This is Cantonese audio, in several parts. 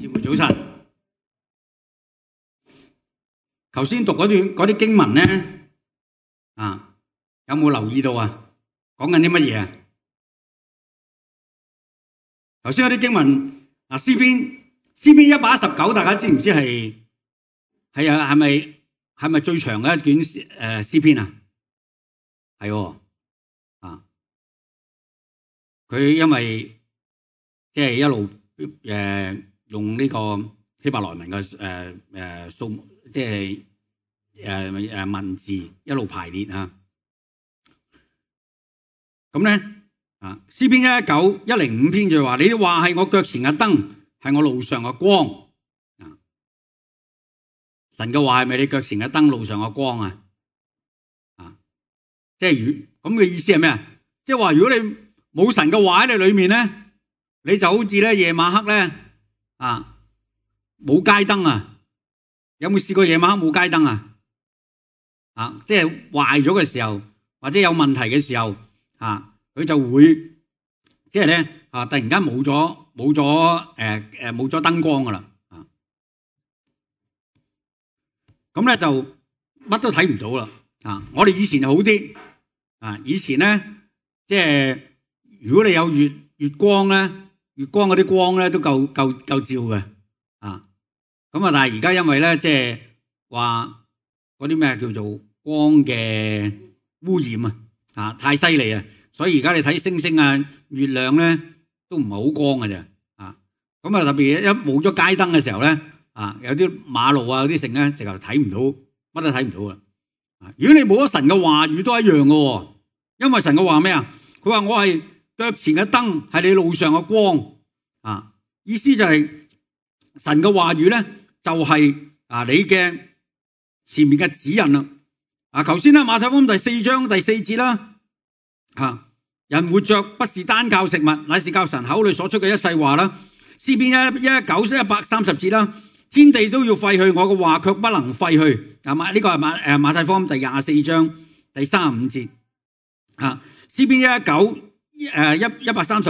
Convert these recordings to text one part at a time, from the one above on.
姊妹早晨。頭先讀嗰啲經文咧，有冇留意到啊？講緊啲乜嘢啊？頭先嗰啲經文詩篇119，大家知唔知係咪最長嘅一卷詩篇啊？係喎，佢因為即係一路用呢個希伯來文嘅數目，即係文字一路排列啊。咁咧詩篇105篇就話：你話係我腳前嘅燈，係我路上嘅光。神嘅話係咪你腳前嘅燈，路上嘅光啊？即係咁嘅意思係咩啊？即係話如果你冇神嘅話喺你裏面咧，你就好似咧夜晚黑咧冇街燈啊！有冇試過夜晚黑冇街燈啊？即係壞咗嘅時候，或者有問題嘅時候佢就會即係咧突然間冇咗燈光噶啦咁咧就乜都睇唔到啦我哋以前就好啲以前咧即係如果你有月光咧，月光嗰啲光咧都夠照嘅咁但係而家因為咧即係話嗰啲咩叫做光嘅污染太犀利啊！所以而家你睇星星月亮咧都唔係好光嘅啫咁特別一冇咗街燈嘅時候咧有啲馬路有啲剩咧直頭睇唔到，乜都睇唔到啦如果你冇咗神嘅話語都一樣嘅因為神嘅話咩啊？佢話我係腳前嘅燈，係你路上嘅光意思就係神嘅話語咧就係你嘅前面嘅指引啦頭先啦馬太福音第4章第4節啦人活着不是單靠食物，乃是靠神口裏所出嘅一切話啦。詩篇130節啦，天地都要廢去，我嘅話卻不能廢去。呢個係馬太福音第24章第35節詩篇130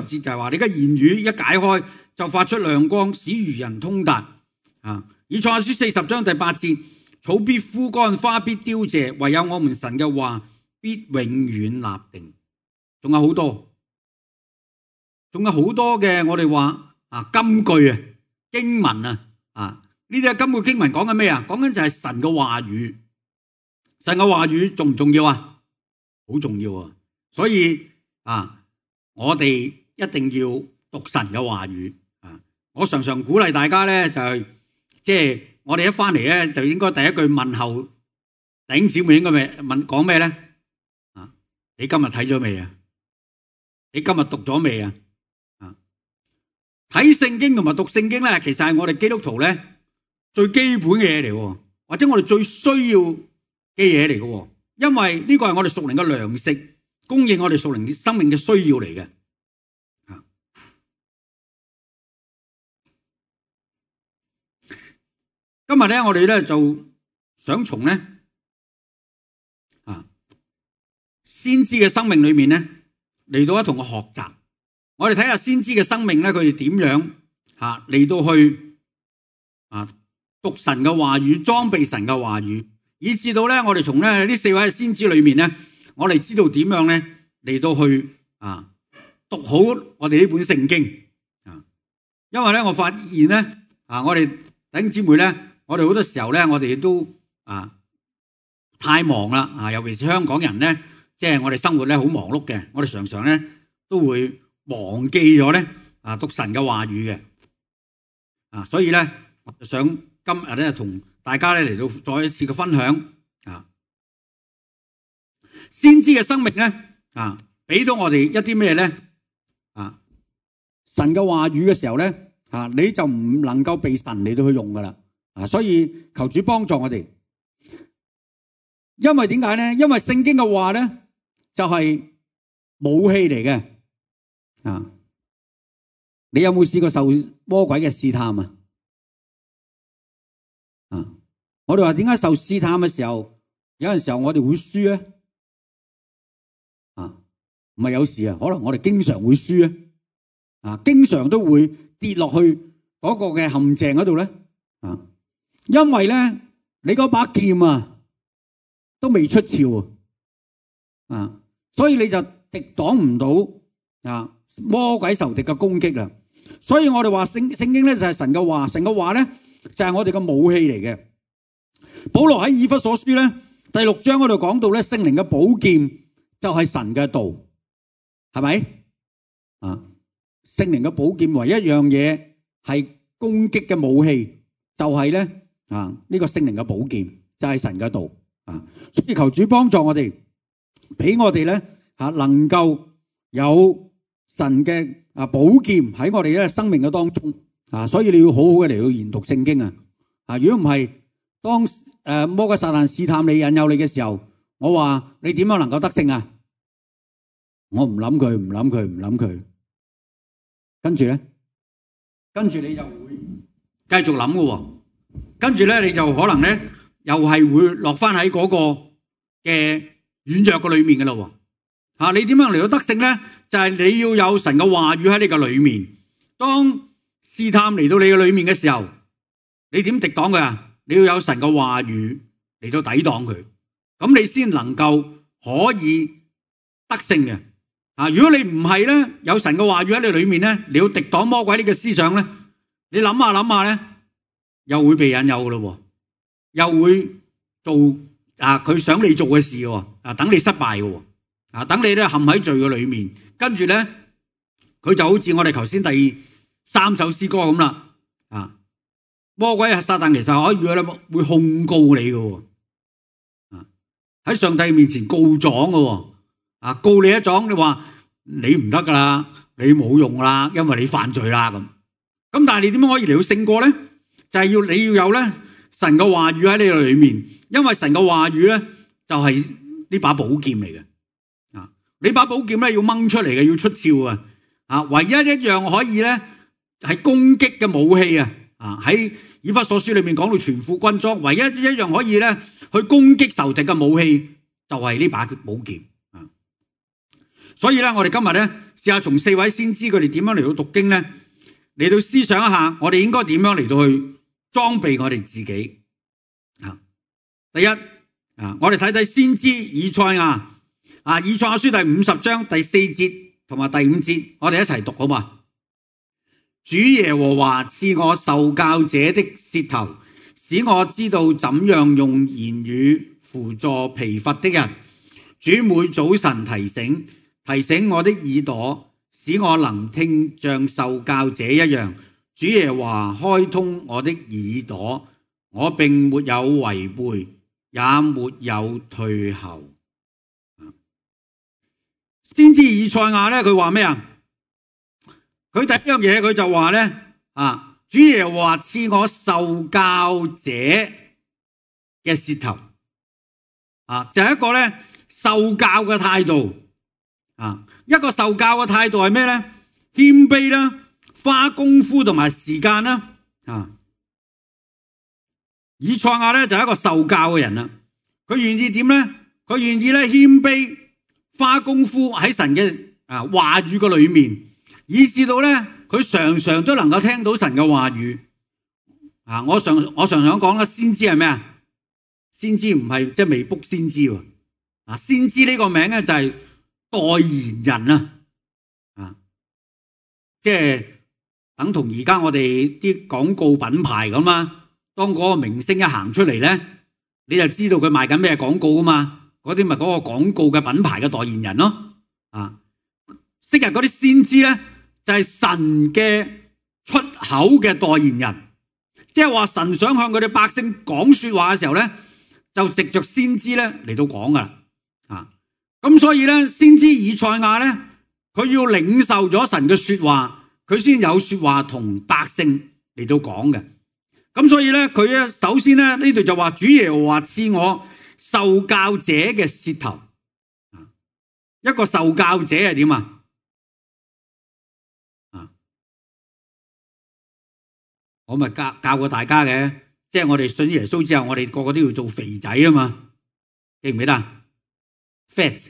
節就係話你嘅言語一解開就發出亮光，使愚人通達以賽亞書40章第8節，草必枯乾，花必凋謝，唯有我們神嘅話必永遠立定。仲有好多嘅我哋話金句經文呢啲金句經文講緊咩啊？講緊就係神嘅話語。神嘅話語重唔重要啊？好重要所以我哋一定要讀神嘅話語我常常鼓勵大家咧就係即係我哋一翻嚟咧就應該第一句問候弟兄姊妹應該講咩咧你今日睇咗未啊？你今日讀咗未啊？睇聖經同埋讀聖經咧，其實係我哋基督徒咧最基本嘅嘢嚟，或者我哋最需要嘅嘢嚟嘅，因為呢個係我哋屬靈嘅糧食，供應我哋屬靈生命嘅需要嚟嘅。今日咧，我哋咧就想從咧先知嘅生命裏面咧。嚟到一同嘅學習，我哋睇下先知嘅生命咧，佢哋點樣嚟到去讀神嘅話語，裝備神嘅話語，以至到咧我哋從咧呢4位先知裏面咧，我哋知道點樣咧嚟到去讀好我哋呢本聖經因為咧我發現咧我哋弟兄姊妹咧，我哋好多時候咧，我哋都太忙啦尤其是香港人咧。即係我哋生活咧好忙碌嘅，我哋常常咧都會忘記咗咧讀神嘅話語嘅所以咧我就想今日咧同大家咧嚟到再一次嘅分享先知嘅生命咧俾到我哋一啲咩咧神嘅話語嘅時候咧你就唔能夠被神嚟到去用噶啦所以求主幫助我哋，因為點解咧？因為聖經嘅話咧。就係武器嚟嘅你有冇試過受魔鬼嘅試探我哋話點解受試探嘅時候，有陣時候我哋會輸咧唔係有時可能我哋經常會輸經常都會跌落去嗰個嘅陷阱嗰度咧？因為咧你嗰把劍都未出鞘所以你就敵擋唔到魔鬼仇敵嘅攻擊啦。所以我哋話聖經咧就係神嘅話，神嘅話咧就係我哋嘅武器嚟嘅。保羅喺以弗所書咧第6章嗰度講到咧，聖靈嘅寶劍就係神嘅道，係咪聖靈嘅寶劍唯一一樣嘢係攻擊嘅武器，就係咧呢個聖靈嘅寶劍就係神嘅道所以求主幫助我哋，俾我哋咧能夠有神嘅寶劍喺我哋嘅生命嘅當中所以你要好好嘅嚟到研讀聖經如果唔係，當魔鬼撒旦試探你、引誘你嘅時候，我話你點樣能夠得勝我唔諗佢，跟住你就會繼續諗嘅，跟住咧你就可能咧又係會落翻喺嗰個嘅軟弱嘅裏面嘅咯。你點樣嚟到得勝咧？就係你要有神嘅話語喺你嘅裏面。當試探嚟到你嘅裏面嘅時候，你點敵擋佢你要有神嘅話語嚟到抵擋佢，咁你先能夠可以得勝嘅。如果你唔係咧，有神嘅話語喺你裏面咧，你要抵擋魔鬼呢個思想咧，你諗下咧，又會被引誘嘅咯，又會做佢想你做嘅事喎，等你失敗嘅喎，等你咧陷喺罪嘅裏面，跟住咧佢就好似我哋頭先第3首詩歌咁啦，魔鬼撒旦其實可以會控告你嘅，喺上帝面前告狀嘅，告你一狀，你話你唔得噶啦，你冇用啦，因為你犯罪啦咁。咁但係你點樣可以嚟到勝過咧？就係你要有咧神嘅話語喺你裏面，因為神嘅話語咧就係呢把寶劍嚟嘅。你把寶劍咧要掹出嚟嘅，要出鞘唯一一樣可以咧係攻擊嘅武器喺以弗所書裏面講到全副軍裝，唯一一樣可以咧去攻擊仇敵嘅武器就係呢把寶劍。所以咧，我哋今日咧試下從4位先知佢哋點樣嚟到讀經咧，嚟到思想一下，我哋應該點樣嚟到去裝備我哋自己。第一我哋睇睇先知以賽亞以賽亞書第50章第4節同埋第5節，我哋一齊讀好嘛？主耶和華賜我受教者的舌頭，使我知道怎樣用言語扶助疲乏的人。主每早晨提醒我的耳朵，使我能聽像受教者一樣。主耶和華開通我的耳朵，我並沒有違背，也沒有退後。先知以賽亞咧，佢話咩佢第一樣嘢，佢就話咧主耶和華賜我受教者嘅舌頭就係一個咧受教嘅態度一個受教嘅態度係咩咧？謙卑啦，花功夫同埋時間啦以賽亞咧就係一個受教嘅人啦，佢願意點咧？佢願意咧謙卑，花功夫喺神嘅話語嘅裏面。以至到咧，佢常常都能夠聽到神嘅話語。我常想講啦，先知係咩先知唔係即係未卜先知喎。先知呢個名咧就係代言人即係等同而家我哋啲廣告品牌咁當嗰個明星一行出嚟咧，你就知道佢賣緊咩廣告嘛。嗰啲咪嗰個廣告嘅品牌嘅代言人咯。昔日嗰啲先知咧，就係神嘅出口嘅代言人，即係話神想向佢哋百姓講說話嘅時候咧，就藉着先知咧嚟到講噶啦。咁所以咧，先知以賽亞咧，佢要領受咗神嘅說話，佢先有說話同百姓嚟到講嘅。咁所以咧，佢咧首先咧呢度就話主耶和華賜我受教者嘅舌頭。一個受教者係點我咪教過大家嘅，即係我哋信耶穌之後，我哋個個都要做肥仔嘛，記唔記得？Fat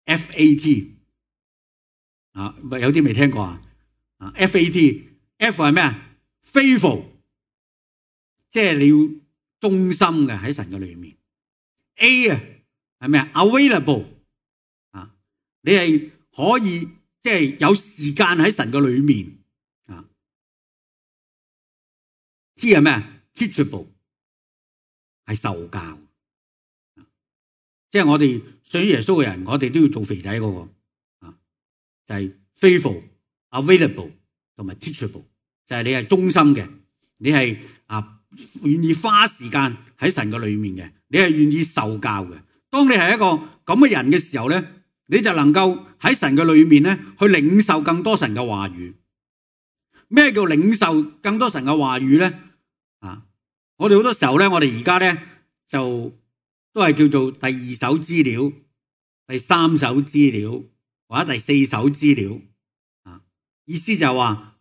FAT 有啲未聽過FAT F 係咩啊 ？faithful， 即係你要忠心嘅喺神嘅裏面。A 啊係咩啊 ？available 啊，你係可以即係有時間喺神嘅裏面啊。T 係咩啊 ？teachable 係受教，即係我哋信耶穌嘅人，我哋都要做肥仔嗰個啊，就係 faithful、available 同埋 teachable， 就係你係忠心嘅，你係願意花時間喺神嘅裏面嘅，你係願意受教嘅。當你係一個咁嘅人嘅時候咧，你就能夠喺神嘅裏面咧去領受更多神嘅話語。咩叫領受更多神嘅話語咧？我哋好多時候咧，我哋而家咧就都係叫做第二手資料、第三手資料或者第四手資料啊。意思就係話，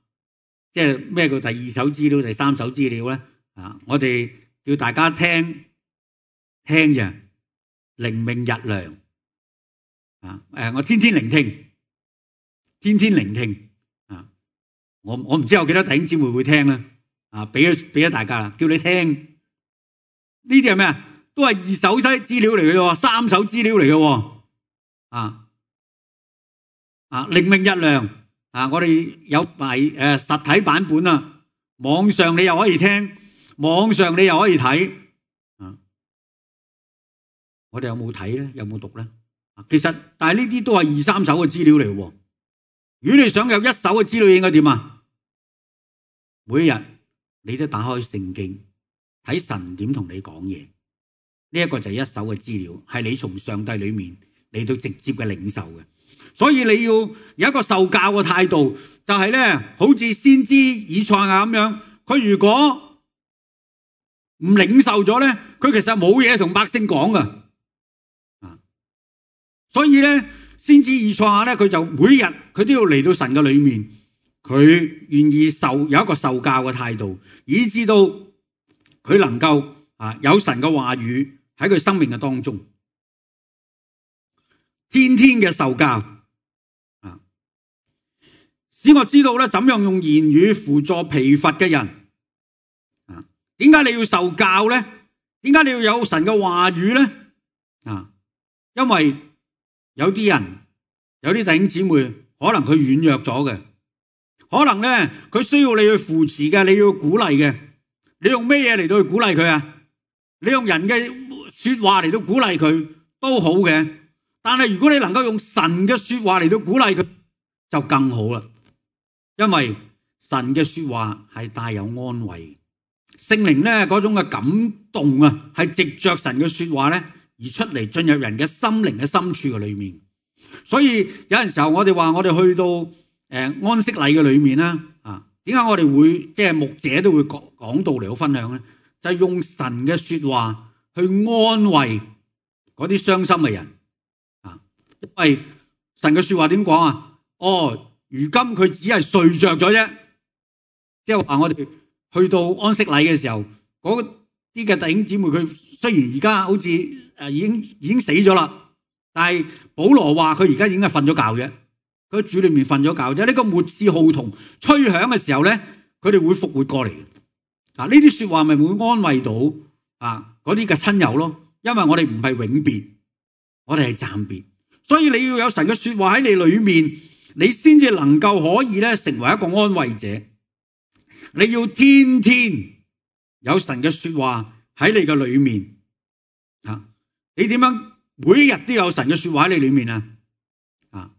即係咩叫第二手資料、第三手資料咧？我哋叫大家聽嘅靈命日糧我天天聆聽我唔知有幾多弟兄姊妹會聽啦。俾咗大家啦，叫你聽呢啲係咩啊？都係二手資料嚟嘅喎，三手資料嚟嘅喎。靈命日糧我哋有埋實體版本啊，網上你又可以聽，網上你又可以睇。我哋有冇睇咧？有冇讀咧？其實但係呢啲都係二三手嘅資料嚟嘅。如果你想有一手嘅資料，應該點啊？每一日你都打開聖經睇神點同你講嘢，呢一個就係一手嘅資料，係你從上帝裏面嚟到直接嘅領受嘅。所以你要有一個受教嘅態度，就係咧，好似先知以賽亞咁樣，佢如果唔領受咗咧，佢其實冇嘢同百姓講噶。所以咧，先知以賽亞咧，佢就每日佢都要嚟到神嘅裏面，佢願意有一個受教嘅態度，以致到佢能夠有神嘅話語喺佢生命嘅當中，天天嘅受教使我知道咧，怎樣用言語輔助疲乏嘅人。點解你要受教咧？點解你要有神嘅話語咧？因為有啲人，有啲弟兄姊妹，可能佢軟弱咗嘅，可能咧佢需要你去扶持嘅，你要鼓勵嘅。你用咩嘢嚟到去鼓勵佢啊？你用人嘅說話嚟到鼓勵佢都好嘅，但係如果你能夠用神嘅說話嚟到鼓勵佢，就更好啦。因為神嘅說話係帶有安慰，聖靈咧嗰種嘅感動係藉着神嘅說話咧而出嚟，進入人嘅心靈嘅深處嘅裏面。所以有陣時候我哋話我哋去到安息禮嘅裏面啦，點解我哋會即係牧者都會講道嚟到分享咧？就係用神嘅說話去安慰嗰啲傷心嘅人。因為神嘅說話點講啊？如今佢只係睡着咗啫，即係話我哋去到安息禮嘅時候，嗰啲嘅弟兄姊妹佢雖然而家好似已經死咗啦，但係保羅話佢而家已經係瞓咗覺啫，佢喺主裏面瞓咗覺啫。呢個末次號筒吹響嘅時候咧，佢哋會復活過嚟。呢啲說話咪會安慰到嗰啲嘅親友咯。因為我哋唔係永別，我哋係暫別，所以你要有神嘅說話喺你裏面，你先至能夠可以咧成為一個安慰者。你要天天有神嘅說話喺你嘅裏面。你點樣每一日都有神嘅說話喺你裏面啊？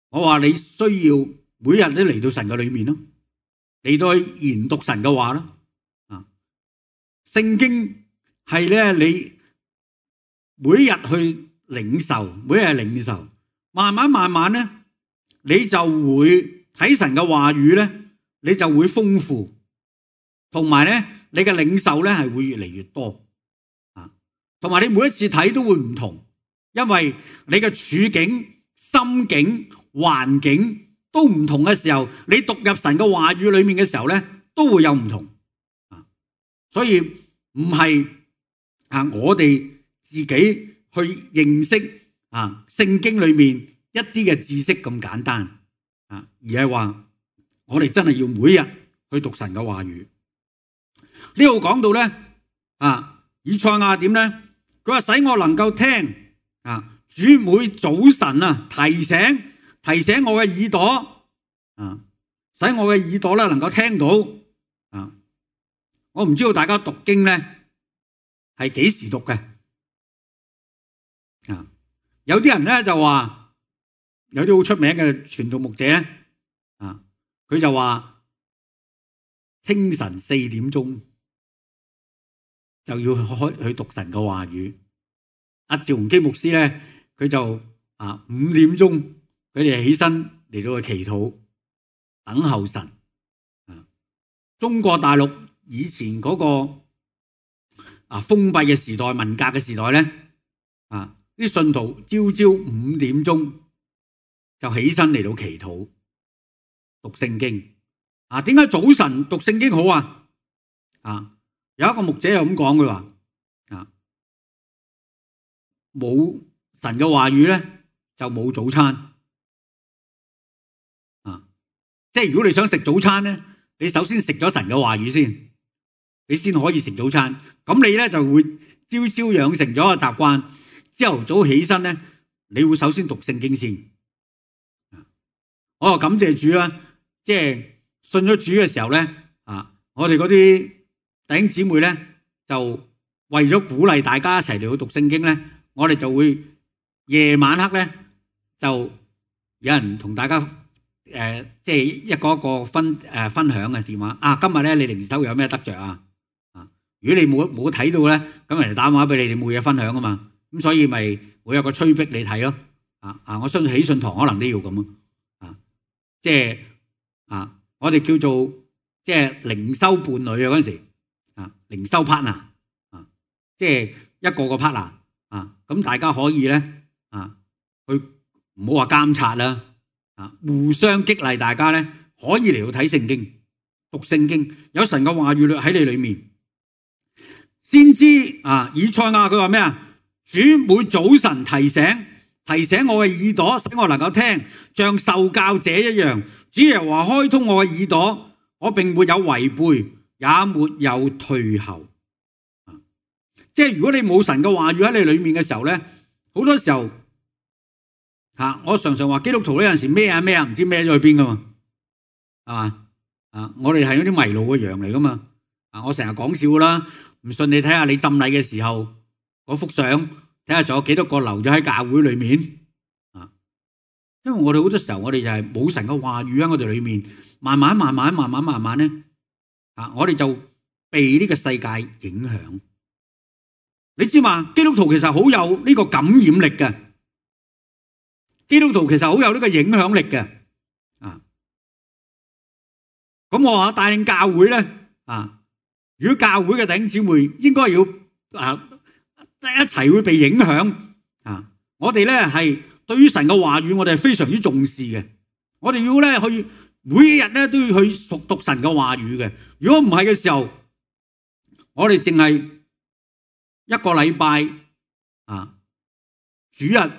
我話你需要每日都嚟到神嘅裏面咯，嚟到去研讀神嘅話咯。聖經係咧你每日去領受，每日領受，慢慢咧，你就會睇神嘅話語咧，你就會豐富，同埋咧你嘅領受咧係會越嚟越多。同埋你每一次睇都會唔同，因為你嘅處境、心境、環境都唔同嘅時候，你讀入神嘅話語裏面嘅時候咧，都會有唔同。所以唔係我哋自己去認識聖經裏面一啲嘅知識咁簡單，而係話我哋真係要每日去讀神嘅話語。呢度講到咧以賽亞點咧？佢話使我能夠聽主每早晨提醒我嘅耳朵使我嘅耳朵咧能夠聽到我唔知道大家讀經咧係幾時讀嘅有啲人咧就話有啲好出名嘅傳道牧者佢就話清晨4點鐘就要開去讀神嘅話語。阿趙宏基牧師咧，佢就5點鐘佢哋起身嚟到去祈禱，等候神。中國大陸以前嗰個封閉嘅時代、文革嘅時代咧，啲信徒朝5點鐘就起身嚟到祈禱、讀聖經。點解早晨讀聖經好有一個牧者又咁講，佢話冇神嘅話語咧就冇早餐即係如果你想食早餐咧，你首先食咗神嘅話語先，你先可以食早餐。咁你咧就會朝朝養成咗個習慣，朝頭早起身咧，你會首先讀聖經先。我又感謝主啦，即係信咗主嘅時候咧我哋嗰啲弟兄姊妹咧就為咗鼓勵大家一齊嚟去讀聖經咧，我哋就會夜晚黑咧就有人同大家即係一個一個分享嘅電話今日咧你靈修有咩得着如果你冇睇到咧，咁人哋打電話俾你，你冇嘢分享啊嘛，咁所以咪會有個催逼你睇咯我相信喜信堂可能都要咁即係我哋叫做即係靈修伴侶嗰陣時靈修 partner 即係一個個 partner 咁大家可以咧去唔好話監察啦互相激勵大家咧，可以嚟到睇聖經、讀聖經，有神嘅話語喺你裏面。先知以賽亞佢話咩主每早晨提醒我嘅耳朵，使我能夠聽，像受教者一樣。主耶和華開通我嘅耳朵，我並沒有違背，也沒有退後。即係如果你冇神嘅話語喺你裏面嘅時候咧，好多時候我常常話基督徒呢，有陣時咩唔知孭咗去邊噶嘛，係嘛我哋係嗰啲迷路嘅羊嚟噶嘛我成日講笑啦，唔信你睇下你浸禮嘅時候嗰幅相，睇下仲有幾多個留咗喺教會裏面因為我哋好多時候我哋就係冇神嘅話語喺我哋裏面，慢慢咧我哋就被呢個世界影響。你知嘛？基督徒其實好有呢個感染力嘅，基督徒其實好有呢個影響力嘅咁我話帶領教會咧如果教會嘅弟兄姊妹應該要一齊會被影響我哋咧係對於神嘅話語我哋係非常之重視嘅，我哋要咧去每一日咧都要去熟讀神嘅話語嘅。如果唔係嘅時候，我哋淨係一個禮拜主日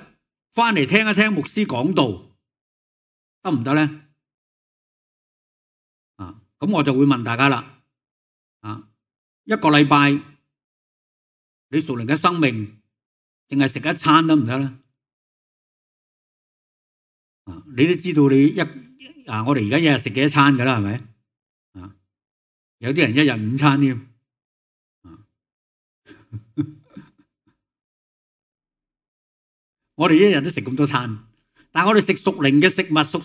翻嚟聽一聽牧師講道得唔得咧？咁我就會問大家啦一個禮拜你屬靈嘅生命淨係食一餐得唔得咧？你都知道你我哋而家一日食幾多餐噶啦，係咪有啲人一日5餐添我哋一日都食咁多餐，但係我哋食屬靈嘅食物、屬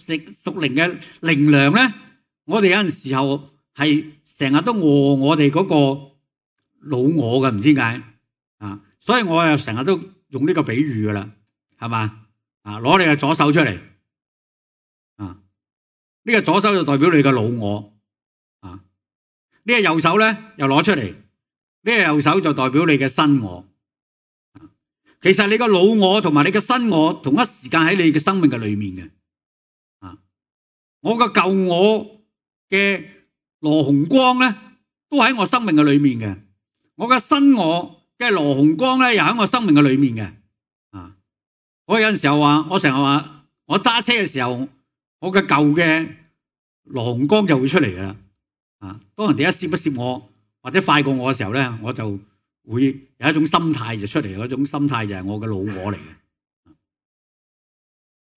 靈嘅靈糧咧，我哋有陣時候係成日都餓我哋嗰個老我嘅，唔知點解所以我又成日都用呢個比喻噶啦，係嘛攞你嘅左手出嚟呢個左手就代表你嘅老我呢個右手咧又攞出嚟，呢個右手就代表你嘅新我。其實你個老我同埋你嘅新我同一時間喺你嘅生命嘅裏面嘅我個舊我嘅羅洪光咧都喺我生命嘅裏面嘅，我嘅新我嘅羅洪光咧又喺我生命嘅裏面嘅我有陣時候話，我成日話我揸車嘅時候，我嘅舊嘅羅洪光就會出嚟噶啦當人哋一攝我或者快過我嘅時候咧，我就會有一種心態就出嚟，嗰種心態就係我嘅老我嚟嘅，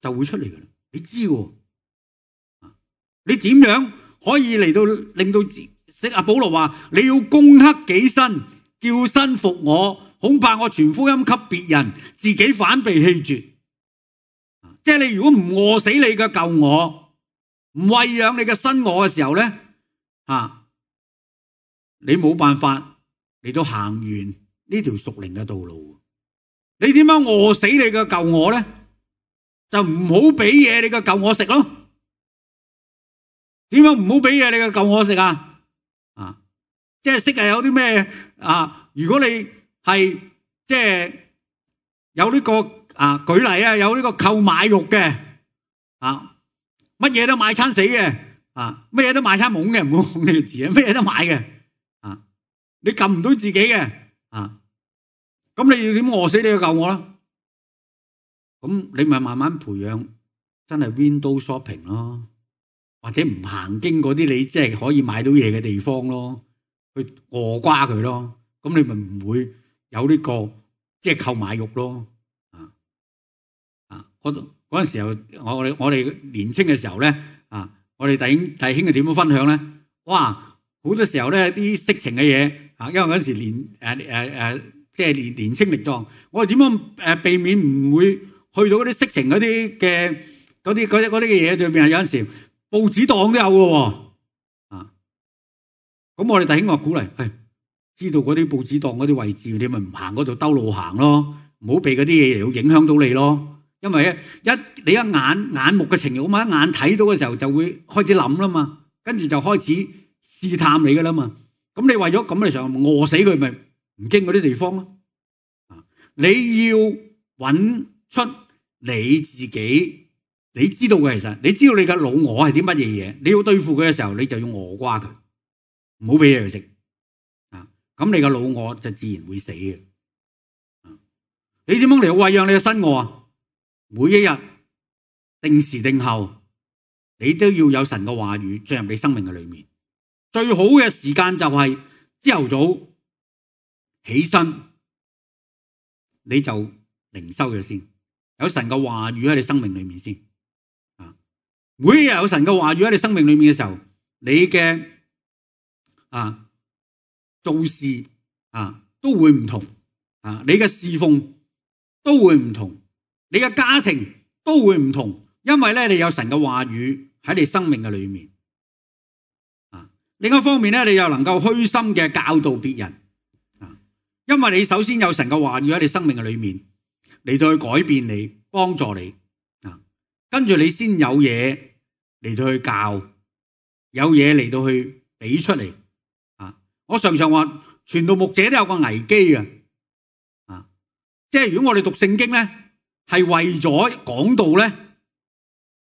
就會出嚟嘅啦。你知喎，你點樣可以嚟到令到阿保羅話你要攻克己身，叫身服我？恐怕我傳福音給別人，自己反被棄絕。即係你如果唔餓死你嘅舊我，唔餵養你嘅新我嘅時候咧，你冇辦法嚟到行完呢條屬靈嘅道路。你點樣餓死你嘅舊我咧？就唔好俾嘢你嘅舊我食咯。點樣唔好俾嘢你嘅舊我食啊？即係識有啲咩如果你係即係有呢個舉例有呢個購買欲嘅乜嘢都買餐死嘅乜嘢都買餐懵嘅，唔好講呢個字乜嘢都買嘅你撳唔到自己嘅咁你要點餓死你嘅舊我啦？咁你咪慢慢培養真係 window shopping 咯，或者唔行經嗰啲你即係可以買到嘢嘅地方咯，去餓瓜佢咯。咁你咪唔會有呢個即係購買欲咯。嗰陣時候我哋年青嘅時候咧我哋弟兄係點樣分享咧？哇！好多時候咧啲色情嘅嘢因為嗰陣時即係年青力壯，我哋點樣避免唔會去到嗰啲色情嗰啲嘅嘢對面？有陣時報紙檔都有嘅喎咁我哋弟兄話鼓勵知道嗰啲報紙檔嗰啲位置，你咪唔行嗰度兜路行咯，唔好俾嗰啲嘢嚟到影響到你咯。因為你一眼目嘅情慾嘛，一眼睇到嘅時候就會開始諗啦嘛，跟住就開始試探你噶啦嘛。咁你為咗咁嘅時候餓死佢，咪唔經嗰啲地方咯。你要揾出你自己，你知道嘅，其實你知道你嘅老我係啲乜嘢嘢，你要對付佢嘅時候，你就要餓瓜佢，唔好俾嘢佢食咁你嘅老我就自然會死嘅。你點樣嚟餵養你嘅新我啊？每一日定時定候，你都要有神嘅話語進入你生命嘅裏面。最好嘅時間就係朝頭早起身，你就靈修咗先，有神嘅話語喺你生命裏面先。每一日有神嘅話語喺你生命裏面嘅時候，你嘅做事都會唔同你嘅侍奉都會唔同，你嘅家庭都會唔同，因為咧你有神嘅話語喺你生命嘅裏面。另一方面咧，你又能夠虛心嘅教導別人，因為你首先有神嘅話語喺你生命嘅裏面嚟到去改變你，幫助你跟住你先有嘢嚟到去教，有嘢嚟到去俾出嚟。我常常話傳道牧者都有個危機嘅即係如果我哋讀聖經咧係為咗講道咧，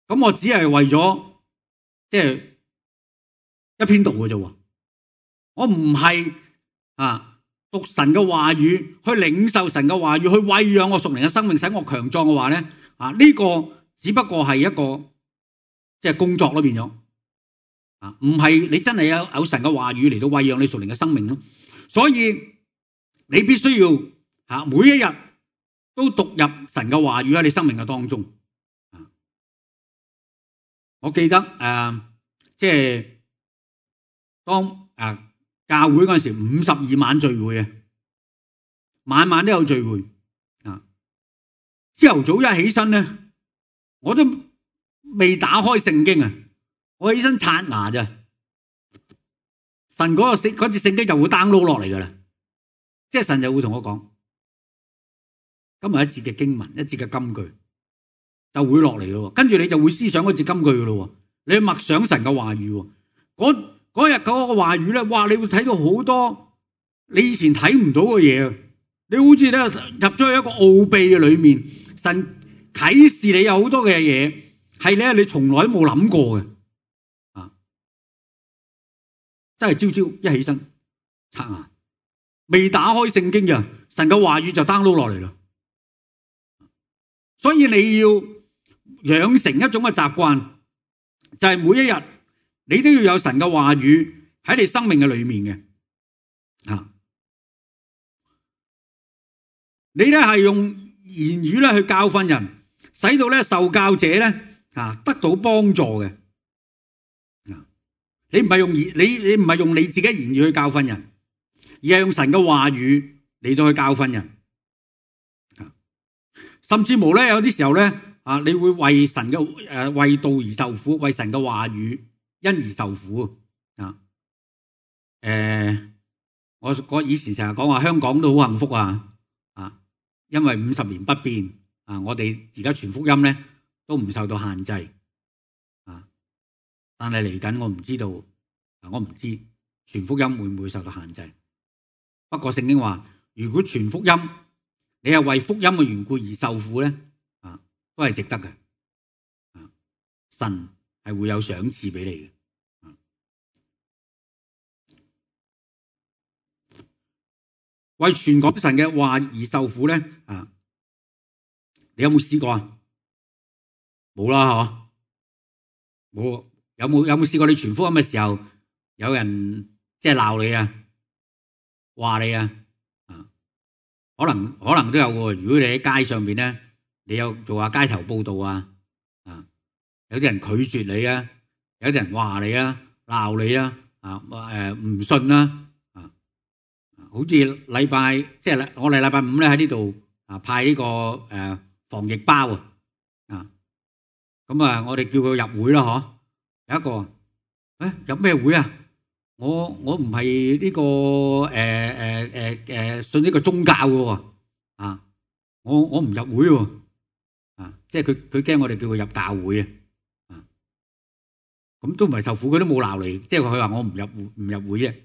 咁我只係為咗即係一篇道嘅啫。我唔係讀神嘅話語，去領受神嘅話語，去餵養我屬靈嘅生命，使我強壯嘅話咧呢個只不過係一個即係工作咯，變咗唔係你真係有神嘅話語嚟到餵養你屬靈嘅生命咯。所以你必須要每一日都讀入神嘅話語喺你生命嘅當中。我記得即係當教會嗰陣時52晚聚會晚晚都有聚會朝頭早一起身咧，我都未打開聖經我起身刷牙咋，神嗰節聖經就會 download 落嚟噶啦，即係神就會同我講今日一節嘅經文，一節嘅金句就會落嚟咯，跟住你就會思想嗰節金句噶咯，你去默想神嘅話語，嗰日嗰個話語咧，哇！你會睇到好多你以前睇唔到嘅嘢，你好似咧入咗去一個奧秘嘅裏面，神啟示你有好多嘅嘢係咧你從來都冇諗過嘅。真係朝朝一起身刷牙，未打開聖經嘅神嘅話語就 download 落嚟啦。所以你要養成一種嘅習慣，就係每一日你都要有神嘅話語喺你生命嘅裏面嘅。你咧係用言語咧去教訓人，使到咧受教者咧得到幫助嘅。你唔係用你唔係用你自己言語去教訓人，而係用神嘅話語嚟到去教訓人。甚至乎咧有啲時候咧你會為神嘅為道而受苦，為神嘅話語因而受苦我以前成日講話香港都好幸福因為50年不變我哋而家傳福音咧都唔受到限制但係嚟緊我唔知道我唔知傳福音會唔會受到限制。不過聖經話，如果傳福音你係為福音嘅緣故而受苦咧都係值得嘅神係會有賞賜俾你嘅。為傳講神嘅話而受苦咧你有冇試過啊？冇啦嗬，冇。有冇試過你傳福音嘅時候有人即係鬧你話你可能都有喎。如果你喺街上面咧，你有做下街頭報道有啲人拒絕你有啲人話你鬧你唔信好似禮拜即係我哋禮拜五咧喺呢度派呢個防疫包咁我哋叫佢入會啦嗬。有一個入咩會我唔係呢個信呢個宗教嘅我唔入會即係佢驚我哋叫佢入教會咁都唔係受苦，佢都冇鬧你，即係佢話我唔入會啫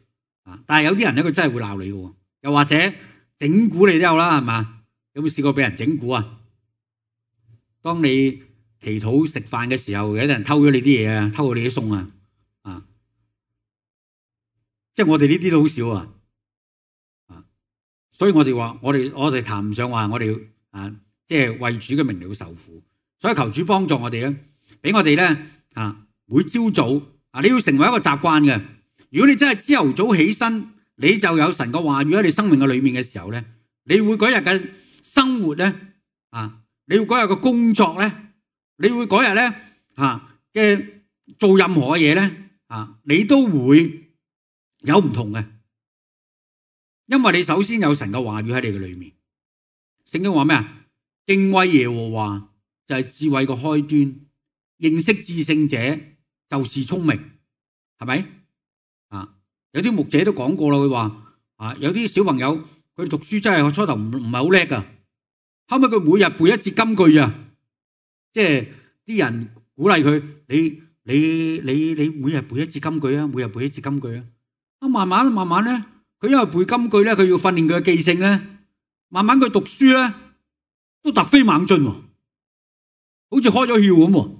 但係有啲人咧佢真係會鬧你嘅，又或者整蠱你都有啦，係嘛？有冇試過俾人整蠱當你祈禱食飯嘅時候，有啲人偷咗你啲嘢偷咗你啲餸即係我哋呢啲都好少所以我哋話我哋談唔上話我哋即係為主嘅名嚟受苦，所以求主幫助我哋俾我哋咧每朝早你要成為一個習慣嘅。如果你真係朝頭早起身，你就有神嘅話語喺你生命嘅裏面嘅時候咧，你會嗰日嘅生活咧你會嗰日嘅工作咧，你會嗰日咧嘅做任何嘅嘢咧你都會有唔同嘅，因為你首先有神嘅話語喺你嘅裏面。聖經話咩敬畏耶和華就係智慧嘅開端，認識至聖者就是聰明，係咪有啲牧者都講過啦，佢話有啲小朋友佢讀書真係初頭唔係好叻噶，後尾佢每日背一節金句即係啲人鼓勵佢，你每日背一節金句每日背一節金句慢慢咧，佢因為背金句咧，佢要訓練佢嘅記性咧，慢慢佢讀書咧都突飛猛進好似開咗竅咁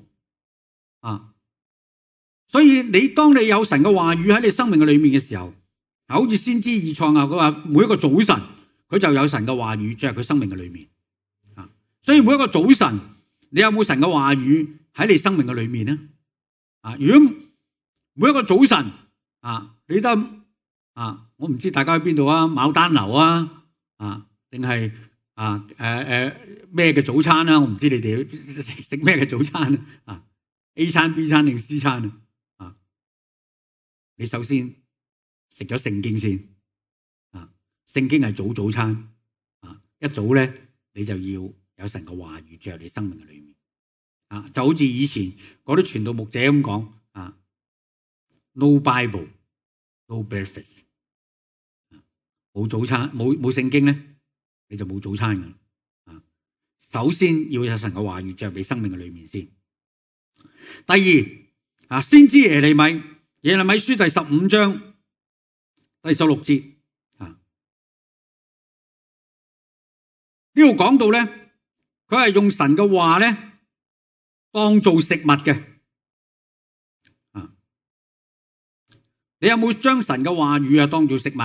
所以當你有神嘅話語喺你生命嘅裏面嘅時候，好似先知以賽亞佢話每一個早晨佢就有神嘅話語進入佢生命嘅裏面所以每一個早晨你有冇神嘅話語喺你生命嘅裏面呢如果每一個早晨你得我唔知大家喺邊度牡丹樓定係咩嘅早餐我唔知你哋食咩嘅早餐A 餐 B 餐定 C 餐你首先食咗聖經先聖經係早餐一早咧你就要有神嘅話語進入你生命嘅裏面就好似以前嗰啲傳道牧者咁講No Bible No breakfast 冇早餐冇聖經咧你就冇早餐㗎首先要有神嘅話語進入你生命嘅裏面先。第二先知耶利米書第15章第16節呢度講到咧，佢係用神嘅話咧當做食物嘅你有冇將神嘅話語當做食物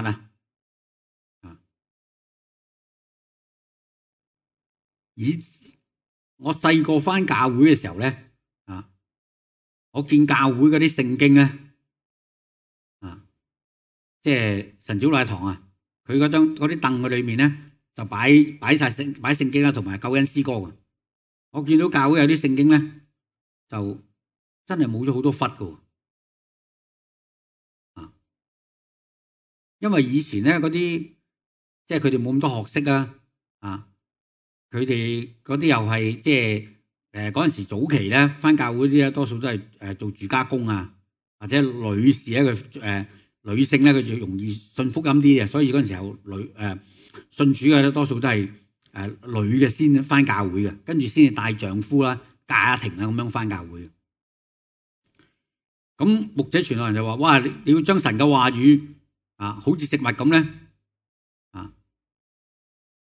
我細個返教會嘅時候咧我見教會嗰啲聖經咧即係神小禮堂啊，佢嗰啲凳嘅裏面咧就擺聖經啦，同埋救恩詩歌嘅。我見到教會有啲聖經咧就真係冇咗好多忽㗎啊，因為以前咧嗰啲即係佢哋冇咁多學識啊，佢哋嗰啲又係即係嗰陣時早期咧返教會啲咧多數都係做住家工啊，或者女士咧佢女性咧佢就容易信福音啲嘅，所以嗰陣時候信主嘅咧多數都係女嘅先返教會嘅，跟住先至帶丈夫啦、家庭啦咁樣返教會。咁牧者傳道人就話：哇！你要將神嘅話語好似食物咁咧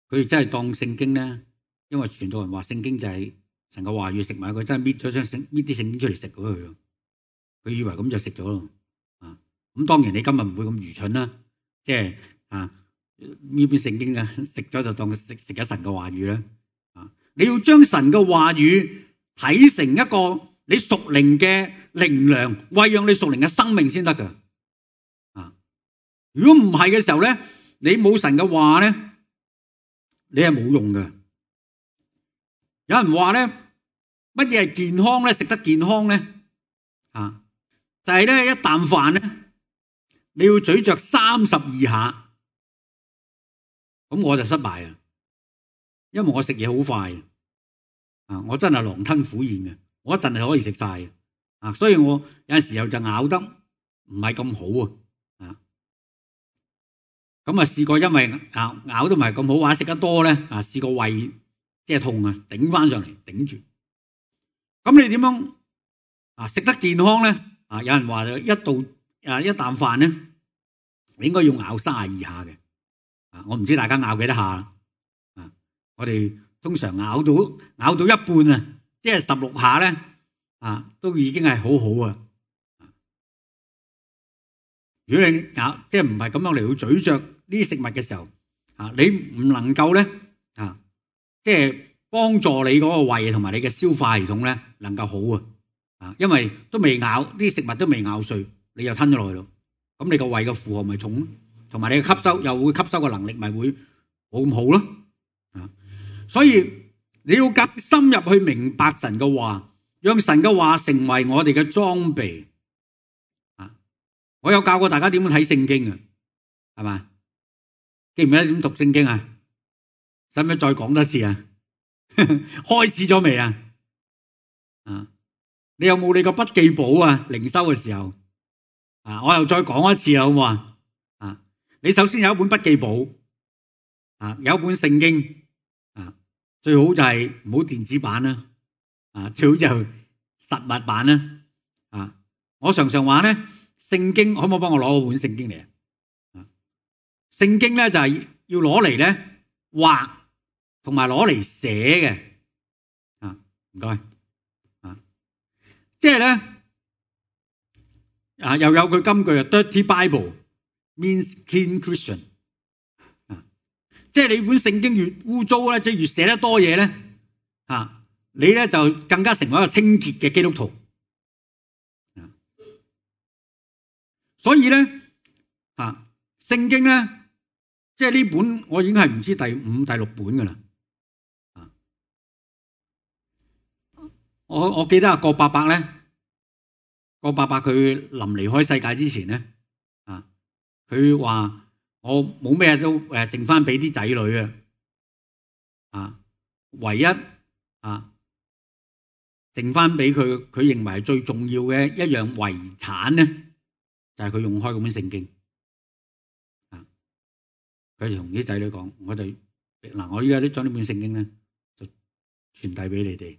佢哋真係當聖經咧，因為傳道人話聖經就係神嘅話語食物，佢真係搣啲聖經出嚟食咗佢以為咁就食咗咯。咁當然你今日唔會咁愚蠢啦，即係呢本聖經食咗就當食咗神嘅話語啦。你要將神嘅話語睇成一個你屬靈嘅靈糧，餵養你屬靈嘅生命先得噶。如果唔係嘅時候咧，你冇神嘅話咧，你係冇用嘅。有人話咧，乜嘢係健康咧？食得健康咧，就係咧一啖飯咧，你要咀嚼32下，咁我就失敗啊！因為我食嘢好快我真係狼吞虎咽嘅，我一陣係可以食晒所以我有陣時候就咬得唔係咁好咁試過因為咬得唔係咁好，或者食得多咧試過胃即係痛頂翻上嚟頂住。咁你點樣食得健康咧？有人話一啖飯咧，你應該要咬32下嘅。我唔知大家咬幾多下我哋通常咬到一半即係16下咧都已經係好好啊。如果你咬即係唔係咁樣嚟去咀嚼呢啲食物嘅時候你唔能夠咧即係幫助你嗰個胃同埋你嘅消化系統咧能夠好因為都未咬啲食物都未咬碎，你又吞咗落去咯，咁你個胃嘅負荷咪重，同埋你嘅吸收又會吸收嘅能力咪會冇咁好咯所以你要更深入去明白神嘅話，讓神嘅話成為我哋嘅裝備我有教過大家點樣睇聖經係嘛？記唔記得點讀聖經使唔使再講多次開始咗未你有冇你個筆記簿靈修嘅時候我又再講一次好唔好你首先有一本筆記簿有一本聖經最好就係唔好電子版啦最好就實物版啦我常常話咧，聖經可唔可以幫我攞本聖經嚟聖經咧就係要攞嚟咧畫同埋攞嚟寫嘅唔該即係咧又有句金句Dirty Bible means clean Christian 即係你本聖經越污糟咧，即係越寫得多嘢咧你咧就更加成為一個清潔嘅基督徒所以咧聖經咧即係呢本我已經係唔知第5、第6本噶啦我記得郭伯伯咧，郭伯伯佢臨離開世界之前咧佢話我冇咩都剩翻俾啲仔女唯一剩翻俾佢認為係最重要嘅一樣遺產咧，就係佢用開嗰本聖經佢就同啲仔女講，我依家都將呢本聖經咧就傳遞俾你哋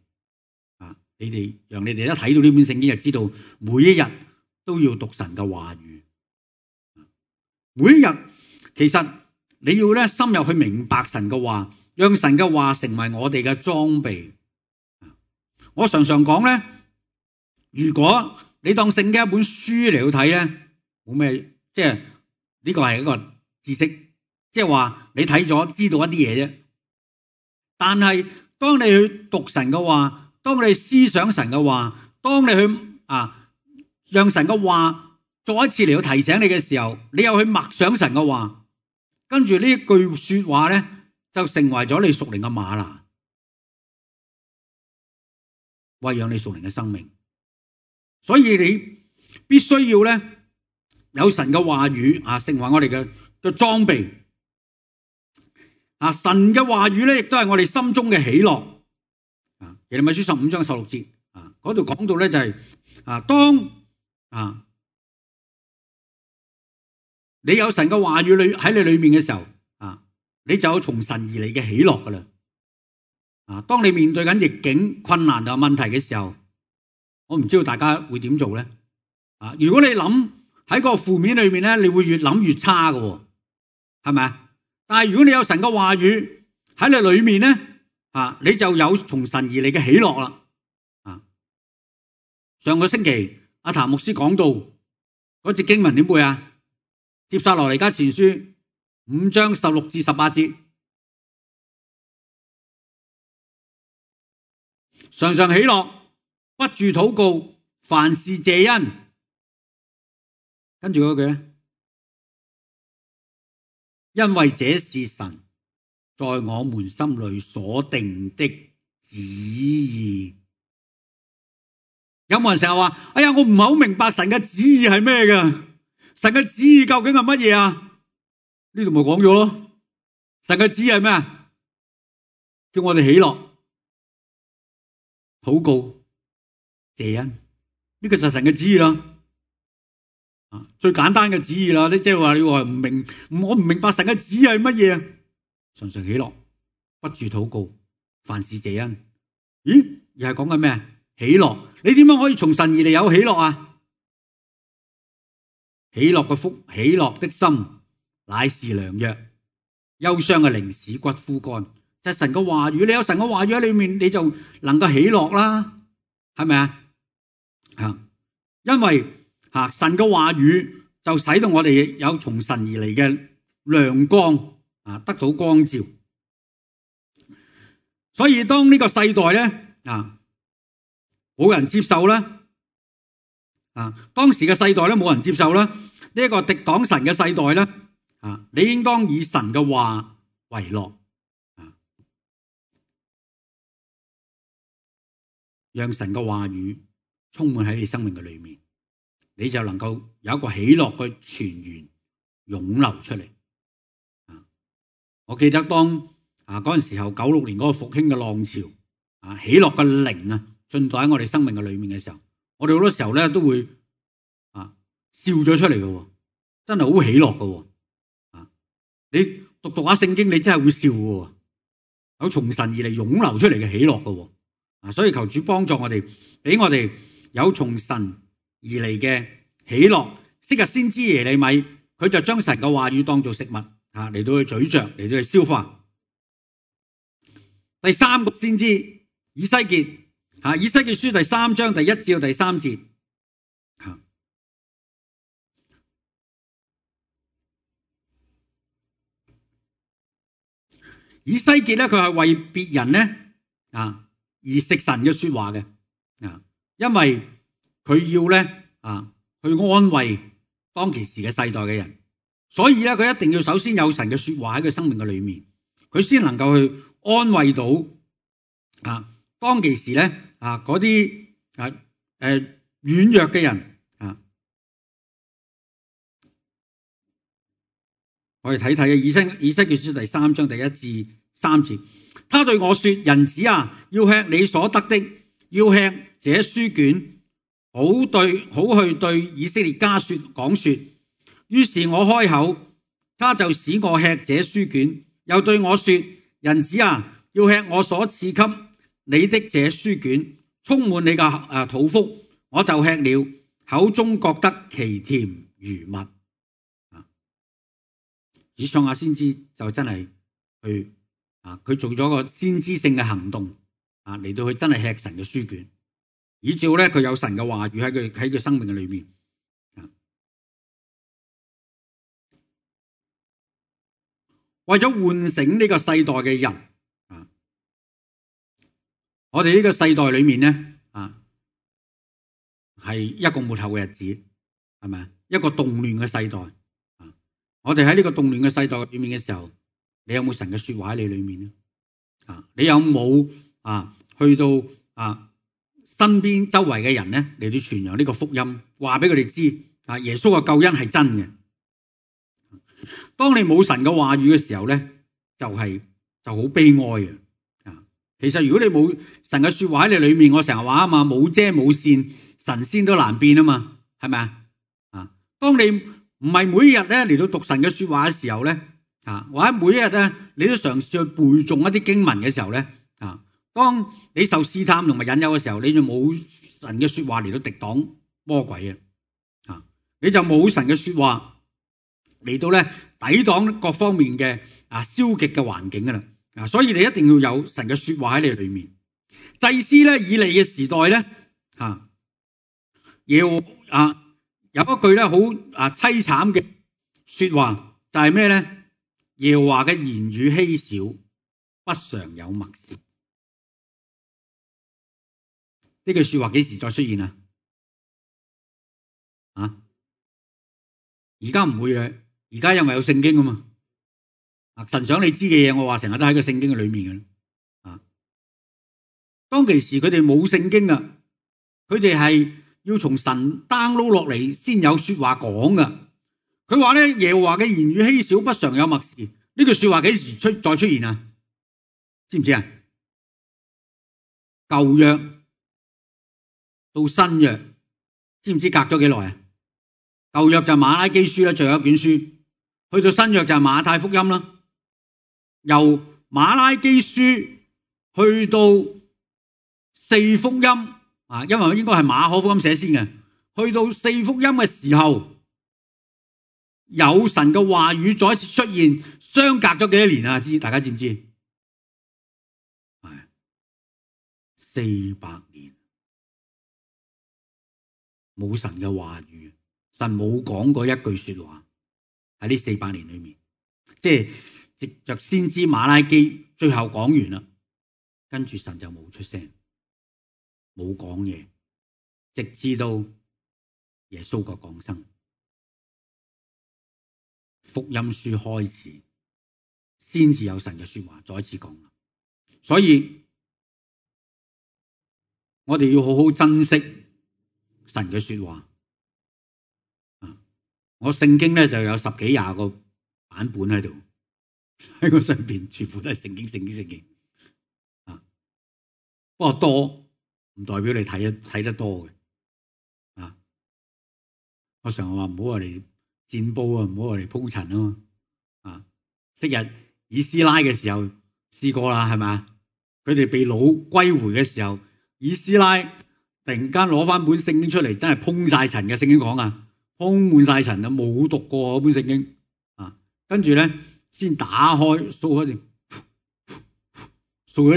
你哋讓你哋一睇到呢本聖經就知道每一日都要讀神嘅話語每一日其實你要咧深入去明白神嘅話，讓神嘅話成為我哋嘅裝備我常常講咧，如果你當聖經一本書嚟去睇咧，冇咩即係呢個係一個知識，即係話你睇咗知道一啲嘢啫。但係當你去讀神嘅話，當你思想神嘅話，當你去讓神嘅話再一次嚟到提醒你嘅時候，你又去默想神嘅話，跟住呢一句說話咧，就成為咗你屬靈嘅嗎哪，餵養你屬靈嘅生命。所以你必須要咧有神嘅話語成為我哋嘅裝備。神嘅話語咧，亦都係我哋心中嘅喜樂。耶利米書15章16節嗰度講到咧就係當你有神嘅話語喺你裏面嘅時候，你就有從神而嚟嘅喜樂噶啦。當你面對緊逆境、困難同問題嘅時候，我唔知道大家會點做咧。如果你諗喺個負面裏面咧，你會越諗越差噶，係咪啊？但係如果你有神嘅話語喺你裏面咧，你就有從神而嚟嘅喜樂啦。上個星期阿譚牧師講到嗰節經文點背啊？帖撒羅尼迦前書5章16至18節，常常喜樂，不住禱告，凡事謝恩。跟住嗰句咧，因為這是神在我們心裏所定的旨意。有冇人成日話：哎呀，我唔係好明白神嘅旨意係咩㗎？神嘅旨意究竟係乜嘢啊？呢度咪講咗咯。神嘅旨意係咩啊？叫我哋喜樂、禱告、謝恩。呢個就係神嘅旨意啦。最簡單嘅旨意啦。即係話你話唔明，我唔明白神嘅旨意係乜嘢啊？常常喜樂，不住禱告，凡事謝恩。咦？又係講緊咩？喜樂。你點樣可以從神而嚟有喜樂啊？喜樂嘅福，喜樂的心乃是良藥，憂傷嘅靈使骨枯乾。就係神嘅話語，你有神嘅話語喺裏面，你就能夠喜樂啦，係咪啊？因為神嘅話語就使到我哋有從神而嚟嘅亮光得到光照。所以當呢個世代咧冇人接受啦，當時嘅世代咧冇人接受啦，呢一個敵擋神嘅世代咧，你應當以神嘅話為樂，讓神嘅話語充滿喺你生命嘅裏面，你就能夠有一個喜樂嘅泉源湧流出嚟。我記得當嗰陣時候96年嗰個復興嘅浪潮，喜樂嘅靈進到喺我哋生命嘅裏面嘅時候，我哋好多時候咧都會笑咗出嚟嘅，真係好喜樂嘅。你讀下聖經，你真係會笑嘅，有從神而嚟湧流出嚟嘅喜樂嘅。所以求主幫助我哋，俾我哋有從神而嚟嘅喜樂。昔日先知耶利米，佢就將神嘅話語當做食物嚟到去咀嚼，嚟到去消化。第三個先知以西結。以西結書第3章第1至第3節，以西結咧，佢係為別人咧而食神嘅說話嘅，因為佢要咧去安慰當其時嘅世代嘅人，所以咧佢一定要首先有神嘅說話喺佢生命嘅裏面，佢先能夠去安慰到當其時咧嗰啲軟弱嘅人。我哋睇睇以西結書第3章第1至3節，他對我說：人子啊，要吃你所得的，要吃這書卷，好去對以色列家講說。於是我開口，他就使我吃這書卷，又對我說：人子啊，要吃我所賜給你的這書卷，充滿你嘅肚腹，我就吃了，口中覺得其甜如蜜。以賽亞先知就真係去佢做咗個先知性嘅行動嚟到佢真係吃神嘅書卷，以至咧佢有神嘅話語喺佢生命嘅裏面。為咗喚醒呢個世代嘅人，我哋呢個世代裏面咧係一個末後嘅日子。係咪啊？一個動亂嘅世代啊！我哋喺呢個動亂嘅世代裏面嘅時候，你有冇神嘅說話喺你裏面咧？啊，你有冇去到身邊周圍嘅人咧嚟到傳揚呢個福音，話俾佢哋知耶穌嘅救恩係真嘅。當你冇神嘅話語嘅時候咧，就好悲哀嘅。其實如果你冇神嘅說話喺你裏面，我成日話啊嘛，冇遮冇線，神仙都難變啊嘛，係咪啊？當你唔係每一日咧嚟到讀神嘅說話嘅時候咧，或者每一日咧你都嘗試去背誦一啲經文嘅時候咧，當你受試探同埋引誘嘅時候，你就冇神嘅說話嚟到敵擋魔鬼啊！你就冇神嘅說話嚟到咧抵擋各方面嘅消極嘅環境噶啦。所以你一定要有神嘅說話喺你裏面。祭司咧以利嘅時代咧，有一句咧好淒慘嘅說話，就係咩咧？耶和華嘅言語稀少，不常有默示。呢句說話幾時再出現啊？而家唔會嘅，而家因為有聖經啊嘛。神想你知嘅嘢，我話成日都喺個聖經嘅裏面嘅。當其時佢哋冇聖經啊，佢哋係要從神 download 落嚟先有說話講噶。佢話咧，耶和華嘅言語稀少，不常有默示。呢句說話幾時再出現啊？知唔知啊？舊約到新約，知唔知隔咗幾耐啊？舊約就馬拉基書啦，最後一卷書，去到新約就係馬太福音啦。由馬拉基書去到四福音因為應該係馬可福音寫先嘅，去到四福音嘅時候，有神嘅話語再一次出現，相隔咗幾多年啊？大家知唔知？係400年冇神嘅話語，神冇講過一句說話喺呢400年裏面，即係藉着先知馬拉基最後講完啦，跟住神就冇出聲，冇講嘢，直至到耶穌嘅降生，福音書開始，先至有神嘅說話再一次講。所以我哋要好好珍惜神嘅說話。我聖經咧就有10幾20個版本喺度，喺個上邊全部都係聖經。不過多唔代表你睇得多嘅。我常話唔好話嚟佔煲啊，唔好話嚟鋪陳啊嘛。昔日以斯拉嘅時候試過啦，係咪？佢哋被擄歸回嘅時候，以斯拉突然間攞翻本聖經出嚟，真係碰晒塵嘅。聖經講啊，充滿晒塵啊，冇讀過嗰本聖經跟住咧先打開掃開啲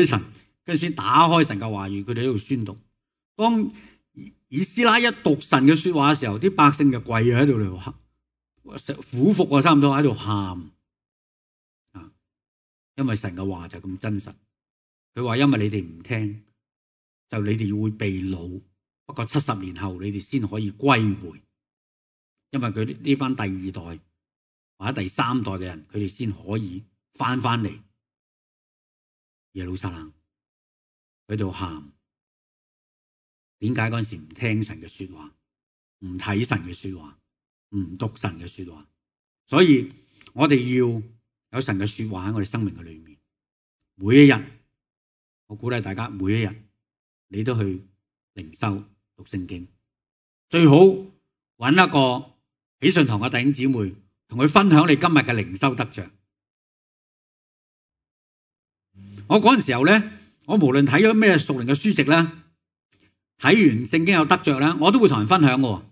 塵，跟住先打開神嘅話語，佢哋喺度宣讀。當以斯拉一讀神嘅說話嘅時候，啲百姓就跪喺度嚟俯伏啊，差唔多喺度喊因為神嘅話就咁真實。佢話因為你哋唔聽，就你哋會被擄，不過70年後你哋先可以歸回，因為佢呢班第2代或者第3代嘅人，佢哋先可以翻嚟耶路撒冷，喺度喊。點解嗰陣時唔聽神嘅說話，唔睇神嘅說話，唔讀神嘅說話？所以我哋要有神嘅說話喺我哋生命嘅裏面。每一日，我鼓勵大家每一日你都去靈修讀聖經，最好揾一個喜信堂嘅弟兄姊妹，同佢分享你今日嘅靈修得着。我嗰陣時候咧，我無論睇咗咩屬靈嘅書籍啦，睇完聖經有得着啦，我都會同人分享嘅。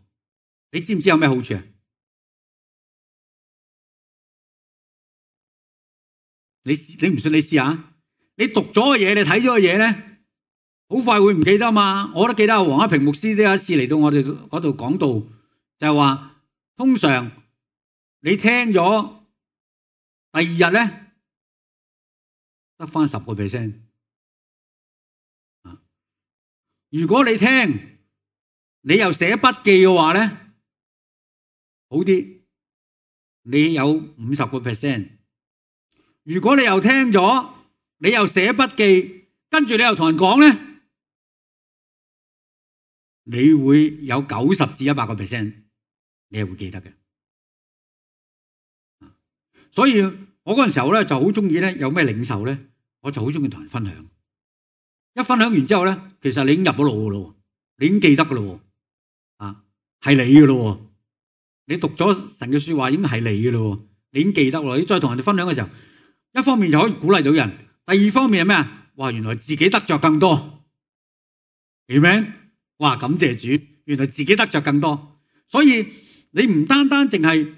你知唔知有咩好處啊？你唔信你試下，你讀咗嘅嘢，你睇咗嘅嘢咧，好快會唔記得嘛。我都記得阿黃一平牧師都有一次嚟到我哋嗰度講道，就係話通常你聽咗第2日咧得翻10%。如果你聽你又寫筆記嘅話咧，好啲，你有50%。如果你又聽咗，你又寫筆記，跟住你又同人講咧，你會有90至100%，你係會記得嘅。所以我嗰陣時候咧就好中意咧，有咩領受咧，我就好中意同人分享。一分享完之後咧，其實你已經入咗腦噶咯，你已經記得噶咯，係你噶咯。你讀咗神嘅說話已經係你噶咯，你已經記得咯。你再同人哋分享嘅時候，一方面就可以鼓勵到人，第二方面係咩啊？哇，原來自己得着更多，Amen。哇，感謝主，原來自己得着更多。所以你唔單單淨係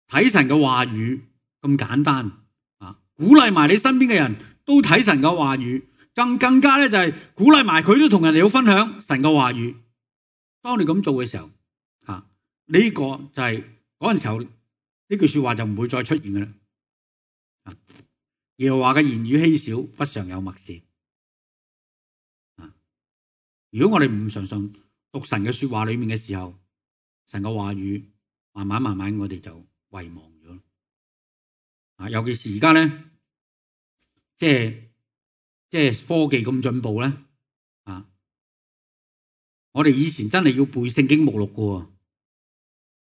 睇神嘅話語咁簡單啊，鼓勵埋你身邊嘅人都睇神嘅話語，更加咧就係鼓勵埋佢都同人哋好分享神嘅話語。當你咁做嘅時候，呢個就係嗰陣時候呢句說話就唔會再出現嘅啦。耶和華嘅言語稀少，不常有默示。如果我哋唔常常讀神嘅說話裏面嘅時候，神嘅話語慢慢我哋就遺忘咗。尤其是而家咧，即係科技咁進步咧，我哋以前真係要背聖經目錄㗎，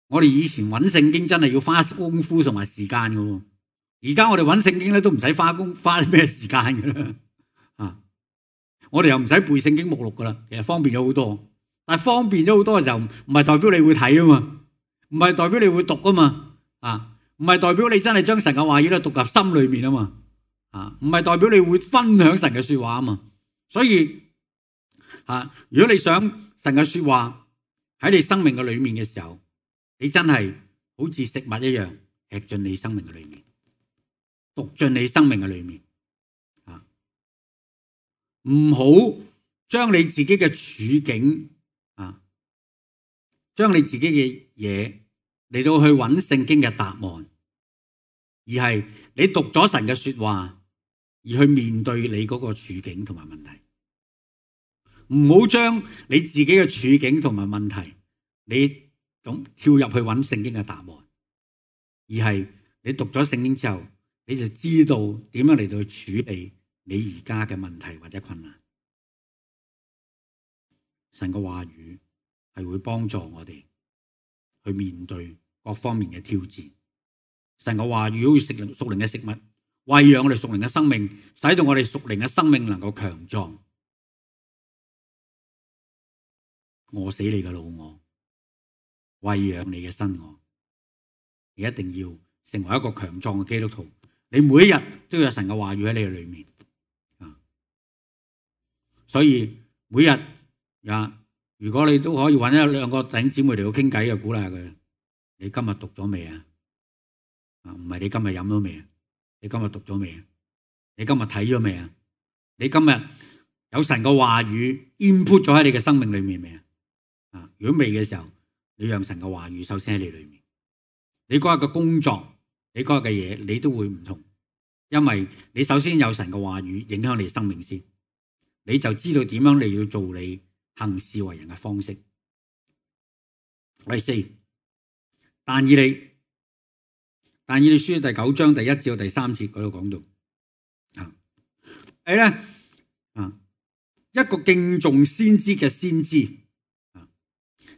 我哋以前揾聖經真係要花功夫同埋時間㗎。而家我哋揾聖經咧都唔使花咩時間㗎啦。我哋又唔使背聖經目錄㗎啦，其實方便咗好多。但係方便咗好多嘅時候，唔係代表你會睇啊嘛，唔係代表你會讀啊嘛，唔係代表你真係將神嘅話語咧讀入心裏面啊嘛，唔係代表你會分享神嘅說話啊嘛。所以如果你想神嘅說話喺你生命嘅裏面嘅時候，你真係好似食物一樣吃進你生命嘅裏面，讀進你生命嘅裏面。唔好將你自己嘅處境將你自己嘅嘢嚟到去揾聖經嘅答案，而係你讀咗神嘅說話而去面對你嗰個處境同埋問題。唔好將你自己嘅處境同埋問題你咁跳入去揾聖經嘅答案，而係你讀咗聖經之後，你就知道點樣嚟到去處理你而家嘅問題或者困難。神嘅話語係會幫助我哋去面對各方面嘅挑戰。神嘅話語好似屬靈嘅食物，餵養我哋屬靈嘅生命，使到我哋屬靈嘅生命能夠強壯，餓死你嘅老我，餵養你嘅新我。你一定要成為一個強壯嘅基督徒，你每一日都有神嘅話語喺你嘅裏面。所以每日如果你都可以揾一兩個弟兄姊妹嚟到傾偈嘅，鼓勵下佢。你今日讀咗未啊？唔係你今日飲咗未啊？你今日讀咗未啊？你今日睇咗未啊？你今日有神嘅話語 input 咗喺你嘅生命裏面未啊？如果未嘅時候，你讓神嘅話語首先喺你裏面。你嗰日嘅工作，你嗰日嘅嘢，你都會唔同，因為你首先有神嘅話語影響你生命先，你就知道點樣你要做你行事為人嘅方式。第四，但以理書第9章第1至第3節嗰度講到，係咧一個敬重先知嘅先知。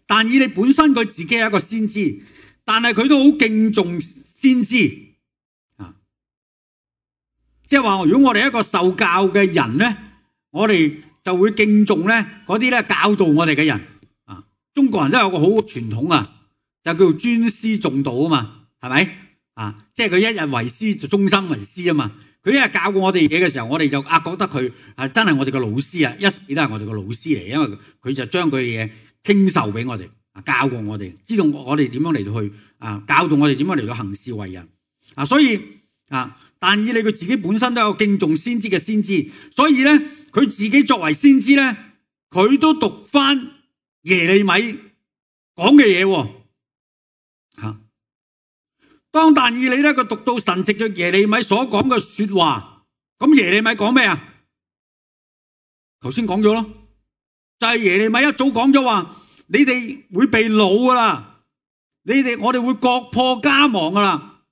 但以理本身佢自己係一個先知，但係佢都好敬重先知。即係話，如果我哋一個受教嘅人咧，我哋就會敬重咧嗰啲咧教導我哋嘅人。中國人都有個好傳統就叫做尊師重道啊嘛，係咪？即係佢一日為師就終身為師啊嘛。佢一日教過我哋嘢嘅時候，我哋就覺得佢真係我哋嘅老師啊，一直都係我哋嘅老師嚟，因為佢就將佢嘅嘢傾授俾我哋，教過我哋，知道我哋點樣嚟到去教導我哋點樣嚟到行事為人。所以但以理佢自己本身都有敬重先知嘅先知，所以咧佢自己作為先知咧，佢都讀翻耶利米講嘅嘢。當但以理咧佢讀到神藉着耶利米所講嘅說話，咁耶利米講咩啊？頭先講咗咯，就係耶利米一早講咗話，你哋會被擄噶啦，我哋會國破家亡噶啦。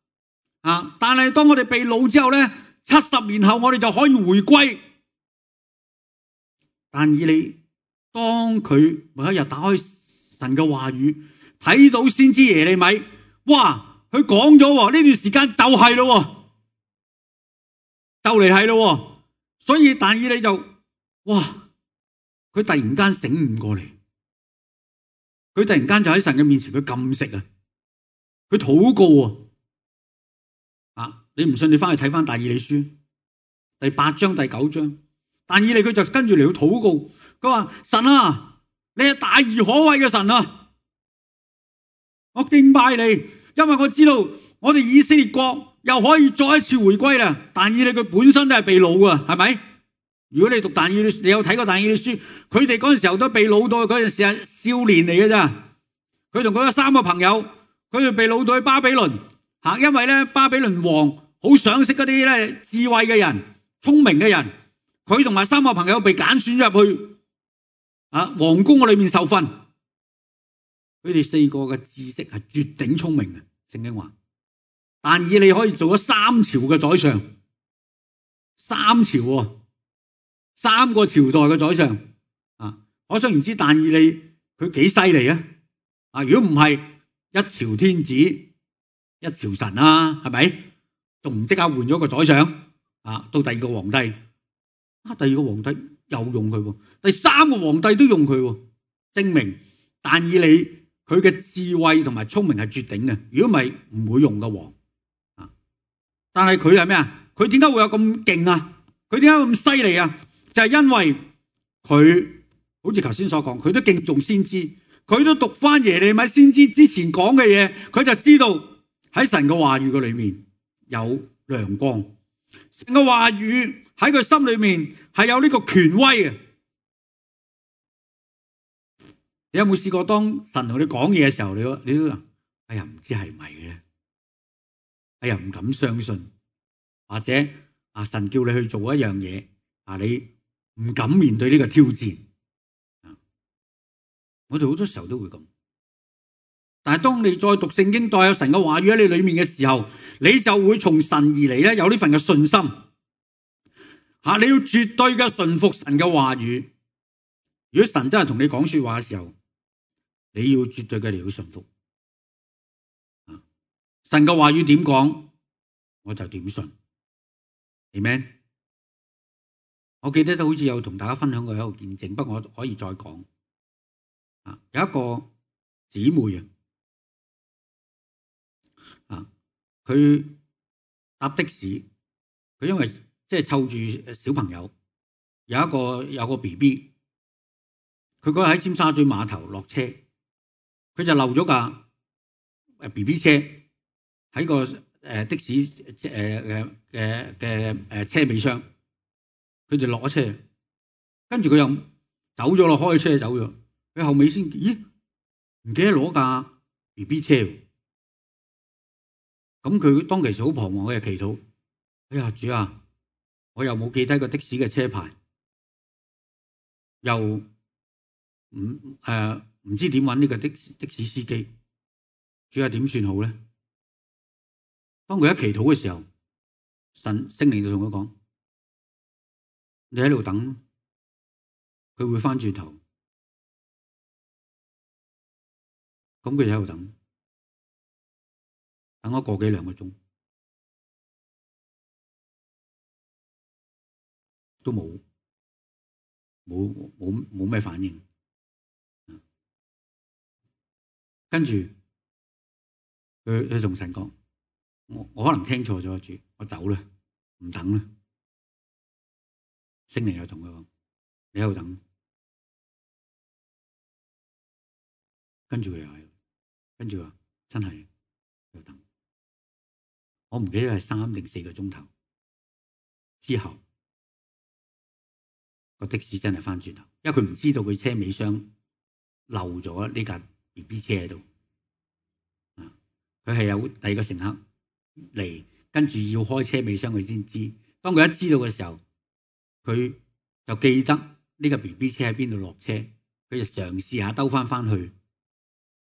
但係當我哋被擄之後咧，70年後我哋就可以回歸。但以理當佢某一日打開神嘅話語，睇到先知耶利米，哇！佢講咗呢段時間就係咯，就嚟係咯。所以但以理就哇，佢突然間醒悟過嚟，佢突然間就喺神嘅面前，佢禁食啊，佢禱告啊。你唔信，你翻去睇翻但以理書第8章第9章，但以理佢就跟住嚟去禱告，佢話神啊，你係大而可畏嘅神啊，我敬拜你，因為我知道我哋以色列國又可以再一次回歸啦。但以理佢本身都係被擄啊，係咪？如果你讀但以理，你有睇過但以理書，佢哋嗰陣時候都被擄到，嗰陣時係少年嚟嘅咋。佢同佢嘅3個朋友，佢哋被擄到去巴比倫，因為咧巴比倫王好賞識嗰啲咧智慧嘅人、聰明嘅人，佢同埋3個朋友被揀選入去皇宮裏面受訓。佢哋4個嘅知識係絕頂聰明嘅，聖經話。但以理可以做咗3朝嘅宰相，3朝喎，3個朝代嘅宰相可想而知但以理佢幾犀利啊！如果唔係一朝天子一朝臣啊，係咪？仲唔即刻換咗個宰相到第2個皇帝第2個皇帝又用佢喎，第3個皇帝都用佢喎，證明但以理佢嘅智慧同埋聰明係絕頂嘅。如果唔係唔會用嘅王但係佢係咩啊？佢點解會有咁勁啊？佢點解咁犀利啊？就係因為佢好似頭先所講，佢都敬重先知，佢都讀翻耶利米先知之前講嘅嘢，佢就知道喺神嘅話語嘅裏面有亮光，神嘅話語喺佢心裏面係有呢個權威嘅。你有冇試過當神同你講嘢嘅時候，你都話哎呀唔知係咪嘅，哎呀唔敢相信，或者神叫你去做一樣嘢你唔敢面對呢個挑戰。我哋好多時候都會咁，但係當你再讀聖經，帶有神嘅話語喺你裏面嘅時候，你就會從神而嚟咧，有呢份嘅信心。你要絕對嘅順服神嘅話語。如果神真係同你講說話嘅時候，你要絕對嘅嚟去順服。神嘅話語點講，我就點信。Amen。我記得都好似有同大家分享過一個見證，不過我可以再講。有一個姊妹佢搭的士，佢因為即係湊住小朋友，有個 BB， 佢嗰日喺尖沙咀碼頭落車，佢就漏咗架 BB 車喺個的士嘅車尾箱，佢就落咗車，跟住佢又走咗咯，開車走咗。佢後尾先，咦？唔記得攞架 BB 車，咁佢當其時好彷徨嘅祈禱。哎呀主啊，我又冇記低個的士嘅車牌，又唔知點搵呢個的士司機，主啊點算好咧？當佢一祈禱嘅時候，聖靈就同佢講：你喺度等，佢會翻轉頭。咁佢就喺度等咗個幾2個鐘，都冇咩反應。跟住佢同神講：我可能聽錯咗，主，我走啦，唔等啦。聖靈又同佢講：你喺度等。跟住佢又係。跟住話真係要等，我唔記得係3定4個鐘頭之後，個的士真係翻轉頭，因為佢唔知道佢車尾箱漏咗呢架 BB 車喺度。佢係有第2個乘客嚟，跟住要開車尾箱佢先知。當佢一知道嘅時候，佢就記得呢個 BB 車喺邊度落車，佢就嘗試下兜翻去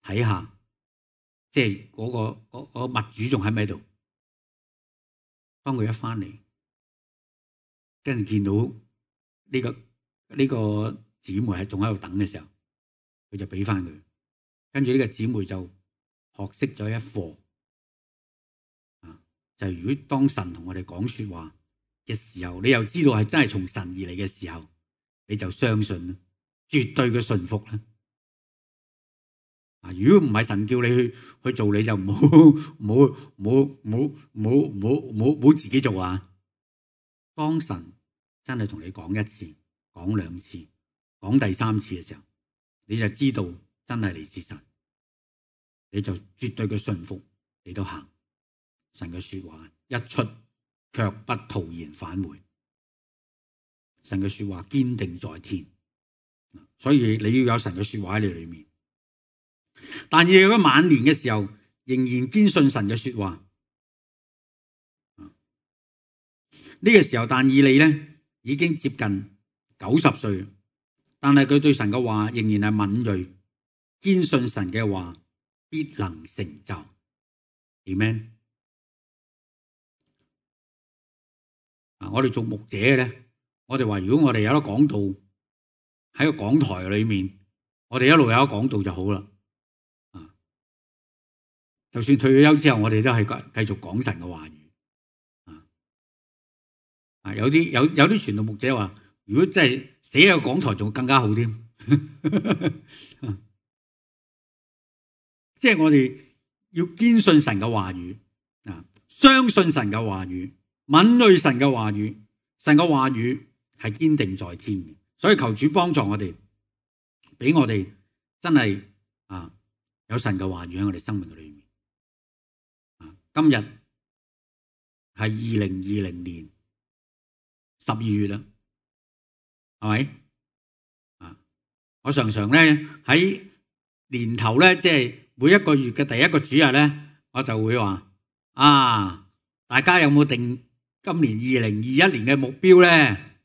睇下。即係嗰個物主仲喺咪度？當佢一翻嚟，跟住見到呢個姊妹係仲喺度等嘅時候，佢就俾翻佢。跟住呢個姊妹就學識咗一課，就係如果當神同我哋講說話嘅時候，你又知道係真係從神而嚟嘅時候，你就相信啦，絕對嘅順服啦。如果唔係神叫你去做，你就唔好自己做啊！當神真係同你講一次、講兩次、講第三次嘅時候，你就知道真係嚟自神，你就絕對嘅順服，你都行神嘅說話，一出卻不徒然返回。神嘅說話堅定在天，所以你要有神嘅說話喺你裏面。但以理喺晚年嘅時候，仍然堅信神嘅說話。呢個時候，但以理咧已經接近90歲，但係佢對神嘅話仍然係敏銳，堅信神嘅話必能成就。Amen。我哋做牧者嘅咧，我哋話如果我哋有得講道喺個講台裏面，我哋一路有得講道就好啦。就算退咗休之後，我哋都係繼續講神嘅話語。有啲傳道牧者話，如果真係寫喺個講台，仲更加好添。即係我哋要堅信神嘅話語，相信神嘅話語，敏銳神嘅話語。神嘅話語係堅定在天嘅，所以求主幫助我哋，俾我哋真係有神嘅話語喺我哋生命嘅裏面。今日係2020年12月啦，係咪？我常常咧喺年頭咧，即係每一個月嘅第一個主日咧，我就會話大家有冇定今年2021年嘅目標咧？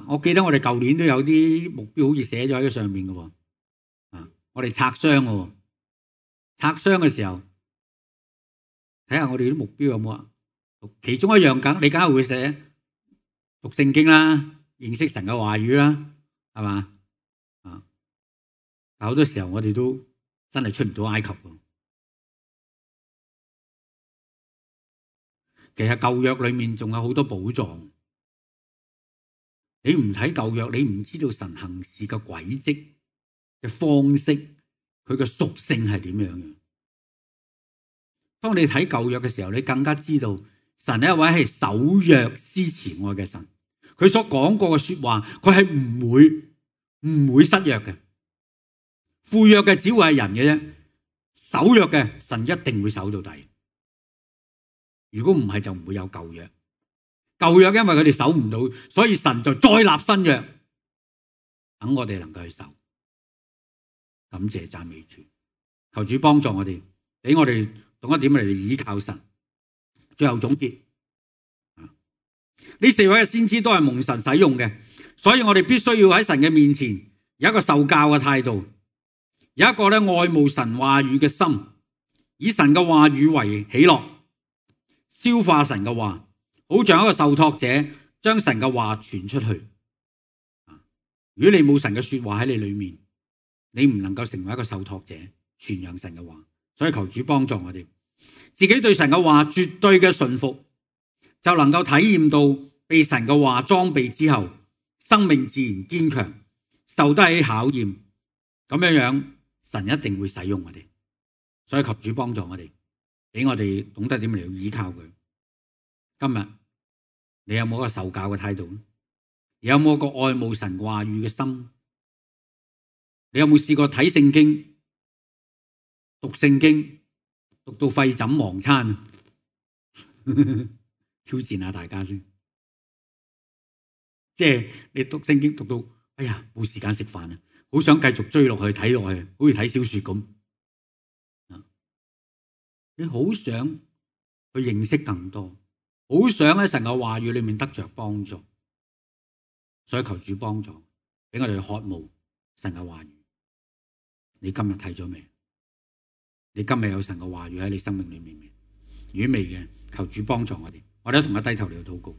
我記得我哋舊年都有啲目標，好似寫咗喺上面嘅。我哋拆箱嘅，拆箱嘅時候。睇下我哋啲目標有冇啊？其中一樣你梗係會寫讀聖經啦，認識神嘅話語啦，係嘛？但好多時候我哋都真係出唔到埃及喎。其實舊約裏面仲有好多寶藏，你唔睇舊約，你唔知道神行事嘅軌跡嘅方式，佢嘅屬性係點樣嘅。當你睇舊約嘅時候，你更加知道神係一位係守約施慈愛嘅神，佢所講過嘅說話，佢係唔會失約嘅。負約嘅只會係人嘅啫，守約嘅神一定會守到底。如果唔係，就唔會有舊約。舊約因為佢哋守唔到，所以神就再立新約，等我哋能夠去守。感謝讚美主，求主幫助我哋，俾我哋懂一點嚟倚靠神。最後總結，呢4位嘅先知都係蒙神使用嘅，所以我哋必須要喺神嘅面前有一個受教嘅態度，有一個愛慕神話語嘅心，以神嘅話語為喜樂，消化神嘅話，好像一個受託者將神嘅話傳出去。如果你冇神嘅說話喺你裏面，你唔能夠成為一個受託者傳揚神嘅話。所以求主幫助我哋，自己對神嘅話絕對嘅順服，就能夠體驗到被神嘅話裝備之後，生命自然堅強，受得起考驗。咁樣神一定會使用我哋。所以求主幫助我哋，俾我哋懂得點嚟依靠佢。今日你有冇一個受教嘅態度？你有冇一個愛慕神話語嘅心？你有冇試過睇聖經、讀聖經讀到廢寢忘餐？挑戰下大家先，即係你讀聖經讀到哎呀冇時間食飯啊，好想繼續追落去睇落去，好似睇小說咁。你好想去認識更多，好想喺神嘅話語裏面得着幫助，所以求主幫助，俾我哋去渴慕神嘅話語。你今日睇咗未？你今日有神嘅話語喺你生命裏面，如果未嘅，求主幫助我哋，我哋一同一低頭嚟到禱告。